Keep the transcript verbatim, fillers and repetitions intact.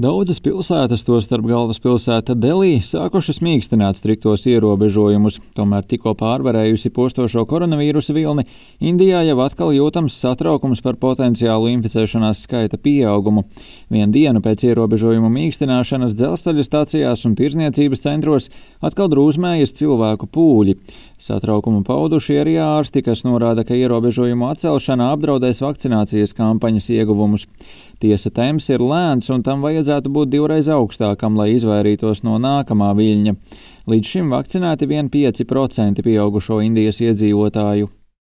Daudzas pilsētas, tostarp galvaspilsēta Delī, sākušas mīkstināt striktos ierobežojumus. Tomēr tikko pārvarējusi postošo koronavīrusa vilni, Indijā jau atkal jūtams satraukums par potenciālu inficēšanās skaita pieaugumu. Vienu dienu pēc ierobežojumu mīkstināšanas dzelzceļa stacijās un tirzniecības centros atkal drūzmējas cilvēku pūļi. Satraukumu pauduši arī ārsti, kas norāda, ka ierobežojumu atcelšana apdraudēs vakcinācijas kampaņas ieguvumus. Tiesa, temps ir lēns un tam vajadzētu būt divreiz augstākam, lai izvairītos no nākamā viļņa. Līdz šim vakcinēti vien pieci procenti pieaugušo Indijas iedzīvotāju.